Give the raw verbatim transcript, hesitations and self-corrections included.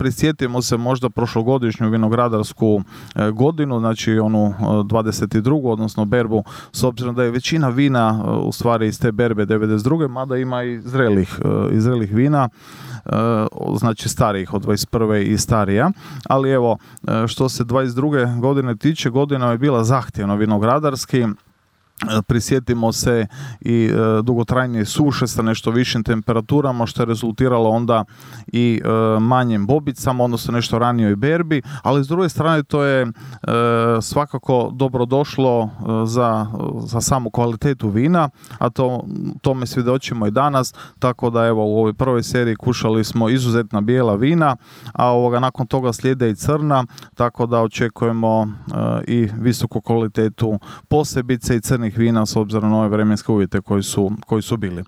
prisjetimo se možda prošlogodišnju vinogradarsku godinu, znači onu dvadeset drugu odnosno berbu, s obzirom da je većina vina u stvari iz te berbe devedeset druge mada ima i zrelih, i zrelih vina, znači starijih od dvadeset prve i starija, ali evo što se dvadeset druge godine tiče, godina je bila zahtjevna vinogradarski. Prisjetimo se i e, dugotrajnije suše sa nešto višim temperaturama, što je rezultiralo onda i e, manjim bobicama, odnosno nešto ranijoj berbi, ali s druge strane to je e, svakako dobro došlo e, za, za samu kvalitetu vina, a to tome svjedočimo i danas, tako da evo u ovoj prvoj seriji kušali smo izuzetna bijela vina, a ovoga nakon toga slijede i crna, tako da očekujemo e, i visoku kvalitetu posebice i crnih vina s obzirom na ove vremenske uvjete koji su, koji su bili.